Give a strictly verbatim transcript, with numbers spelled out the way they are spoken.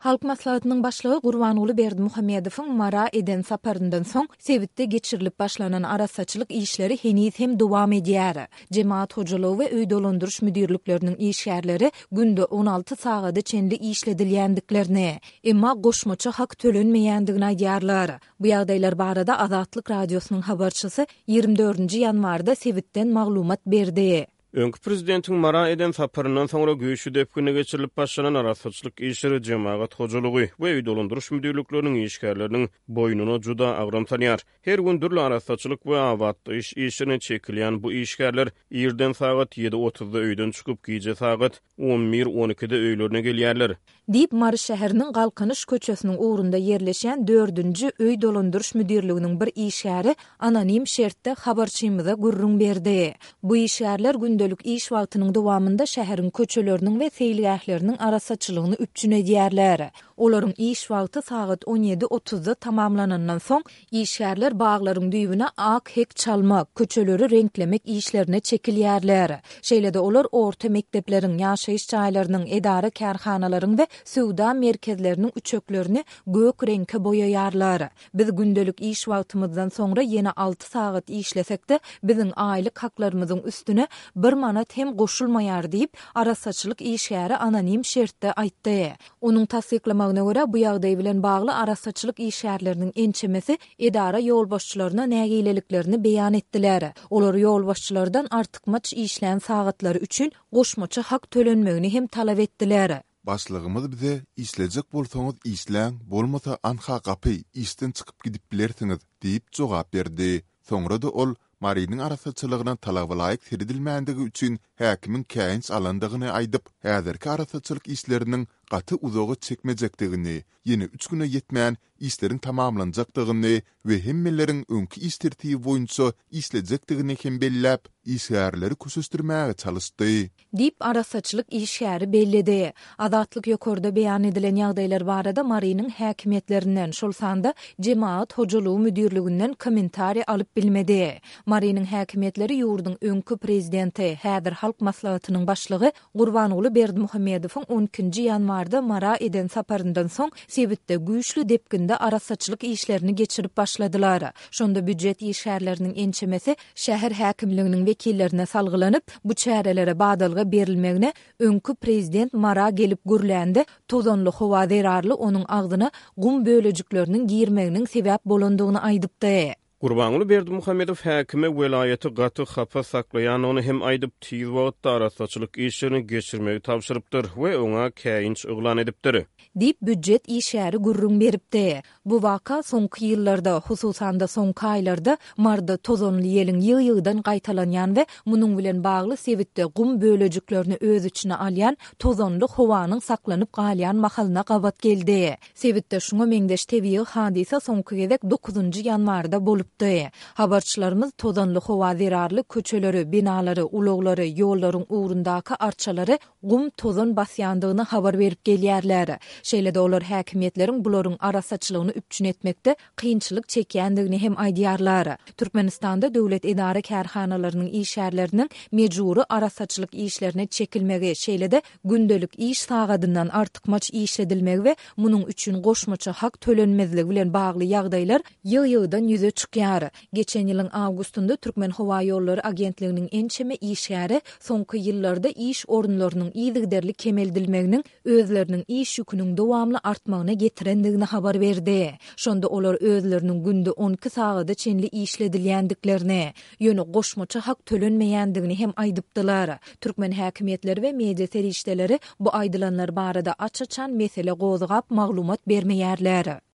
Halk Maslahatynyň Başlygy Gurbanguly Berdimuhamedowyň Mara eden saparyndan soň, sebitde geçirilip başlanan arassaçylyk işleri heniz hem dowam edýär. Jemagat hojalygy we öý dolandyryş müdirlikleriniň işgärleri günde on alty sagada çenli işledilýändiklerini, emma goşmaça hak tölenmeýändigini aýdýarlar. Bu ýagdaýlar barada Azatlyk Radiosynyň habarçysy ýigrimi dördünji ýanwarda sebitden maglumat berdi. Öňki prezidentiň Mara eden saparyndan soňra güýçli depginde geçirilip başlanan arassaçylyk işleri jemagat hojalygy we öý dolandyryş müdirlikleriniň işgärleriniň boýnuna juda agram salýar. Her gün dürli arassaçylyk we abatlaýyş işlerine çekilýän bu işgärler irden sagat ýedi otuzda öýden çykyp, gije sagat on bir on ikide öýlerine gelýärler. Diýip, Mary şäheriniň Galkynyş köçesiniň ugrunda ýerleşýän dördünji öý dolandyryş müdirliginiň bir işgäri anonim şertde habarçymyza gürrüň berdi. Bu işgärler gündelik iş wagtynyň dowamynda şäheriň köçeleriniň we seýilgähleriniň arassaçylygyny üpjün edýärler. Olaryň iş wagty sagat on ýedi otuzda tamamlanandan soň, işgärler baglaryň düýbüne ak hek çalmak, köçeleri reňklemek işlerine çekilýärler. Şeýle-de olar orta mekdepleriň, ýaşaýyş jaýlarynyň, edara-kärhanalaryň we söwda merkezleriniň üçeklerini gök reňke boýaýarlar. Biz gündelik iş wagtymyzdan soňra ýene alty sagat işlesek-de, biziň aýlyk haklarymyzyň üstüne bir manat hem goşulmaýar diýip, arassaçylyk işgäri anonim şertde aýtdy. Onuň tassyklamagyna görä, bu ýagdaý bilen bagly arassaçylyk işgärleriniň ençemesi edara ýolbaşçylaryna nägileliklerini beýan etdiler. Olar ýolbaşçylardan artykmaç işlän sagatlary üçin goşmaça hak tölenmegini hem talap etdiler. Başlygymyz bize işlejek bolsaňyz işläň, bolmasa anha gapy, işden çykyp gidip bilersiňiz diýip jogap berdi. Soňra-da ol Marynyň arassaçylygyna talabalaýyk seredilmändigi üçin häkimiň käýinç alandygyny aýdyp, häzirki arassaçylyk işleriniň gaty uzaga çekmejekdigini, ýene üç güne ýetmän işleriň tamamlanjakdygyny we hemmeleriň öňki iş tertibi boýunça işlejekdigini hem belläp, işgärleri köşeşdirmäge çalyşdy. Diýip, arassaçylyk işgäri belledi. Azatlyk ýokarda beýan edilen ýagdaýlar barada Marynyň häkimiýetlerinden, şol sanda Jemagat hojalygy müdirliginden kommentariý alyp bilmedi. Marynyň häkimiýetleri ýurduň öňki prezidenti, häzir Halk Maslahatynyň başlygy Gurbanguly Berdimuhamedowyň on ikinji ýanwarda Mara eden saparyndan soň sebitde güýçli depginde arassaçylyk işlerini geçirip başladylar. Şonda býujet işgärleriniň ençemesi şäher häkimliginiň wekillerine salgylanyp, bu çärelere badalga berilmegine öňki prezident Mara gelip gürlände tozanly howa zerarly onuň agzyna gum bölejikleriniň girmeginiň sebäp bolandygyny aýdypdy. Gurbanguly Berdimuhamedow häkime welaýaty gaty hapa saklaýandygyny hem aýdyp, tiz wagtda arassaçylyk işlerini geçirmegi tabşyrypdyr we oňa käýinç yglan edipdir. Diýip, býujet işgäri gürrüň beripdi. Bu waka soňky ýyllarda, hususan-da soňky aýlarda Maryda tozanly ýeliň ýygy-ýygydan gaýtalanýan we munuň bilen bagly sebitde gum bölejiklerini öz içine alýan tozanly howanyň saklanyp galýan mahalyna gabat geldi. Sebitde şuňa meňzeş tebigy hadysa soňky gezek dokuzynjy ýanwarda bolupdy. Habarçylarymyz tozanly howa zerarly köçeleri, binalary, ulaglary, ýollaryň ugrundaky arçalary gum tozan basýandygyny habar berip gelýärler. Şeýle-de olar häkimiýetleriň bularyň arassaçylygyny üpjün etmekde kynçylyk çekýändigini hem aýdýarlar. Türkmenistanda döwlet edara-kärhanalarynyň işgärleriniň mejbury arassaçylyk işlerine çekilmegi, şeýle-de gündelik iş sagadyndan artykmaç işledilmegi we munuň üçin goşmaça hak tölenmezligi bilen bagly ýagdaýlar ýygy-ýygydan ýüze çykýar. Geçen ýylyň awgustynda Türkmenhowaýollary agentliginiň ençeme işgäri soňky ýyllarda iş orunlarynyň yzygiderli kemeldilmeginiň özleriniň iş ýüküniň dowamly artmagyna getirendigini habar berdi. Şonda olar özleriniň günde on iki sagada çenli işledilýändiklerini, ýöne goşmaça hak tölenmeýändigini hem aýdypdylar. Türkmen häkimiýetleri we media serişdeleri bu aýdylanlar barada aç-açan mesele gozgap maglumat bermeýärler.